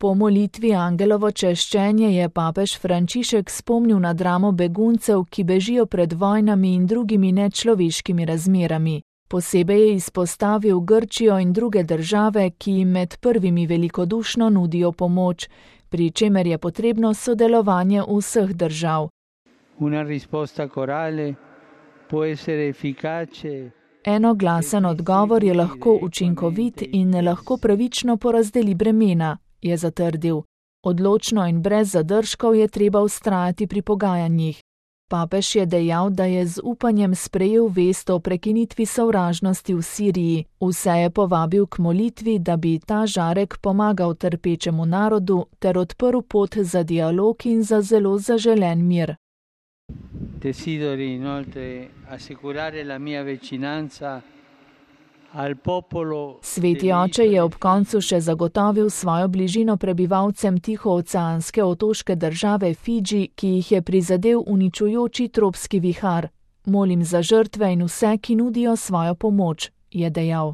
Po molitvi Angelovo češčenje je papež Frančišek spomnil na dramo beguncev, ki bežijo pred vojnami in drugimi nečloveškimi razmerami. Posebej je izpostavil Grčijo in druge države, ki jim med prvimi velikodušno nudijo pomoč, pri čemer je potrebno sodelovanje vseh držav. Enoglasen odgovor je lahko učinkovit in lahko pravično porazdeli bremena, je zatrdil. Odločno in brez zadržkov je treba vztrajati pri pogajanjih. Papež je dejal, da je z upanjem sprejel vest o prekinitvi sovražnosti v Siriji. Vse je povabil k molitvi, da bi ta žarek pomagal trpečemu narodu ter odprl pot za dialog in za zelo zaželen mir. Desideri inoltre assicurare la mia vicinanza al popolo. Sveti oče je ob koncu še zagotovil svojo bližino prebivalcem tihooceanske otoške države Fidži, ki jih je prizadel uničujoči tropski vihar. Molim za žrtve in vse, ki nudijo svojo pomoč, je dejal.